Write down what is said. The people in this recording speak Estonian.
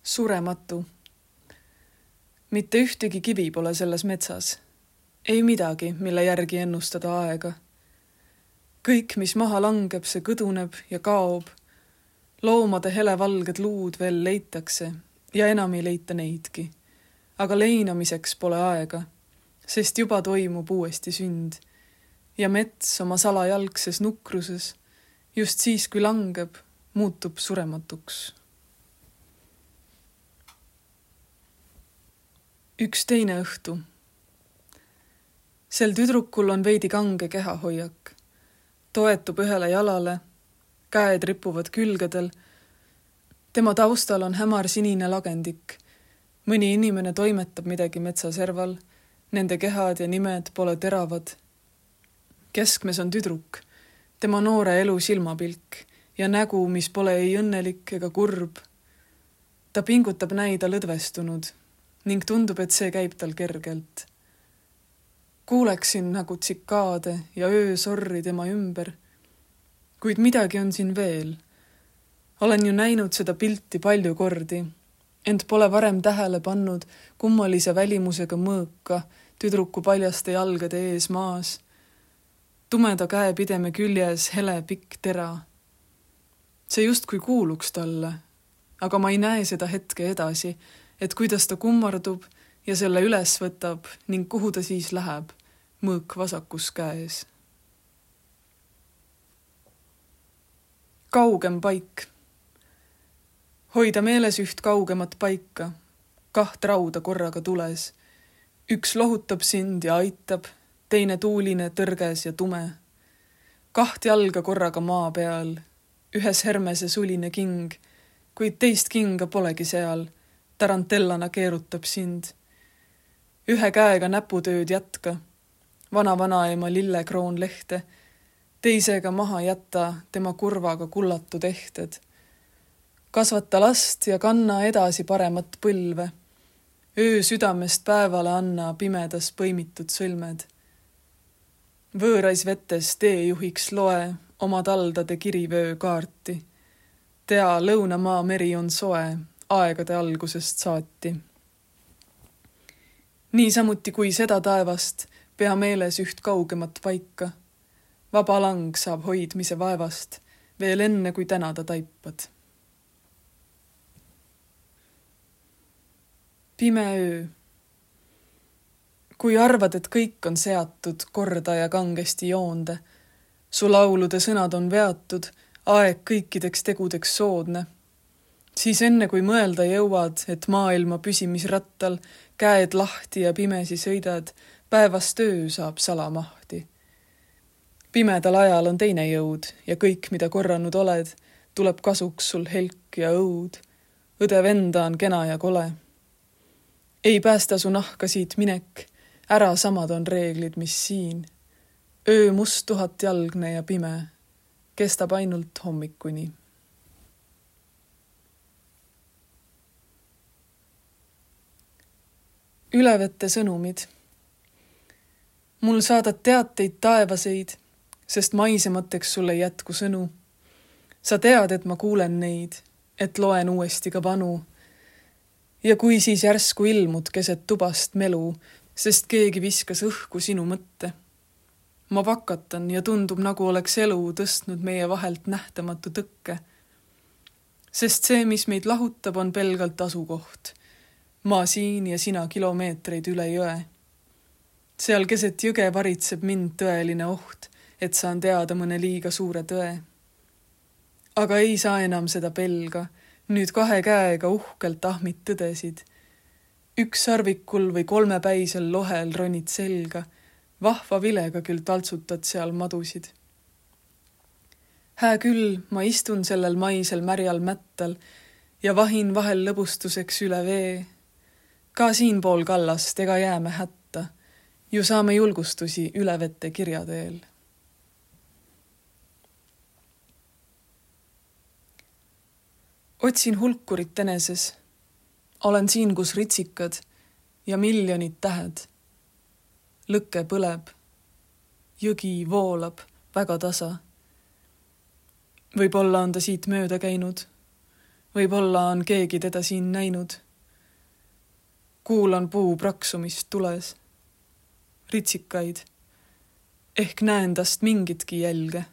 Surematu. Mitte ühtegi kivi pole selles metsas. Ei midagi, mille järgi ennustada aega. Kõik, mis maha langeb, see kõduneb ja kaob. Loomade helevalged luud veel leitakse ja enam ei leita neidki. Aga leinamiseks pole aega, sest juba toimub uuesti sünd. Ja mets oma salajalgses nukruses, just siis, kui langeb, muutub surematuks. Üks teine õhtu. Sel tüdrukul on veidi kange kehahoiak. Toetub ühele jalale, käed ripuvad külgedel. Tema taustal on hämar sinine lagendik. Mõni inimene toimetab midagi metsaserval. Nende kehad ja nimed pole teravad. Keskmes on tüdruk, tema noore elu silmapilk ja nägu, mis pole ei õnnelik ega kurb. Ta pingutab näida lõdvestunud ning tundub, et see käib tal kergelt. Kuuleksin nagu tsikaade ja öösorri tema ümber, kuid midagi on siin veel. Olen ju näinud seda pilti palju kordi, ent pole varem tähele pannud kummalise välimusega mõõka tüdruku paljaste jalgade ees maas. Tumeda käepideme küljes hele pikk tera. See justkui kuuluks talle, aga ma ei näe seda hetke edasi, et kuidas ta kummardub ja selle üles võtab ning kuhu ta siis läheb, mõõk vasakus käes. Kaugem paik. Hoida meeles üht kaugemat paika, 2 rauda korraga tules. Üks lohutab sind ja aitab, teine tuuline, tõrges ja tume. 2 jalga korraga maa peal, ühes hermese suline king, kuid teist kinga polegi seal. Tarantellana keerutab sind. Ühe käega näputööd jätka, vana-vanaema lillekroon lehte, teisega maha jätta tema kurvaga kullatud ehted. Kasvata last ja kanna edasi paremat põlve. Öö südamest päevale anna pimedas põimitud sõlmed. Võõrais vetes teejuhiks loe oma taldade kirivöö kaarti. Tea, lõunamaa meri on soe, aegade algusest saati. Niisamuti kui seda taevast, pea meeles üht kaugemat paika. Vaba lang saab hoidmise vaevast, veel enne kui täna ta taipad. Pime öö. Kui arvad, et kõik on seatud korda ja kangesti joonde, su laulude sõnad on veatud, aeg kõikideks tegudeks soodne, siis enne kui mõelda jõuad, et maailma püsimisrattal käed lahti ja pimesi sõidad, päevast öö saab salamahti. Pimedal ajal on teine jõud ja kõik, mida korranud oled, tuleb kasuks sul helk ja õud. Õde venda on kena ja kole. Ei päästa su nahka siit minek, ära samad on reeglid, mis siin. Öö must 1000 jalgne ja pime, kestab ainult hommikuni. Ülevette sõnumid. Mul saadad teateid taevaseid, sest maisemateks sul ei jätku sõnu. Sa tead, et ma kuulen neid, et loen uuesti ka vanu. Ja kui siis järsku ilmud keset tubast melu, sest keegi viskas õhku sinu mõtte. Ma vakatan ja tundub, nagu oleks elu tõstnud meie vahelt nähtamatu tõkke. Sest see, mis meid lahutab, on pelgalt asukoht. Ma siin ja sina kilomeetreid üle jõe. Seal keset jõge varitseb mind tõeline oht, et saan teada mõne liiga suure tõe. Aga ei saa enam seda pelga, nüüd 2 käega uhkelt ahmid tõdesid. 1 sarvikul või 3-päisel lohel ronid selga, vahva vilega küll taltsutad seal madusid. Hää küll, ma istun sellel maisel märjal mättal ja vahin vahel lõbustuseks üle vee. Ka siinpool kallast ega jääme hätta, ju saame julgustusi ülevette kirjateel. Otsin hulkurit eneses, olen siin, kus ritsikad ja miljonid tähed. Lõkke põleb, jõgi voolab väga tasa. Võib-olla on ta siit mööda käinud Võib-olla on keegi teda siin näinud. Kuulan puu praksumist tules. Ritsikaid. Ehk näen tast mingitki jälge.